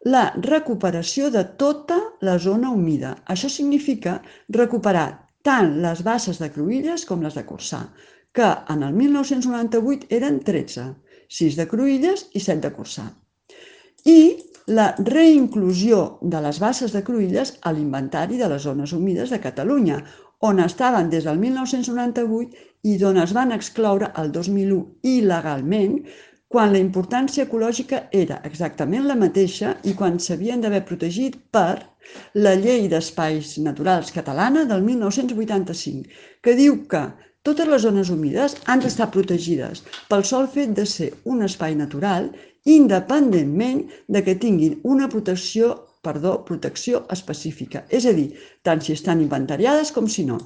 la recuperació de tota la zona humida. Això significa recuperar tant les basses de Cruïlles com les de Corçà, que en el 1998 eren 13, 6 de Cruïlles i 7 de Corçà. I la reinclusió de les basses de Cruïlles a l'Inventari de les Zones Humides de Catalunya, on estaven des del 1998 i d'on es van excloure el 2001 il·legalment, quan la importància ecològica era exactament la mateixa i quan s'havien d'haver protegit per la Llei d'Espais Naturals catalana del 1985, que diu que totes les zones humides han d'estar protegides pel sol fet de ser un espai natural, independentment de que tinguin una protecció específica, és a dir, tant si estan inventariades com si no.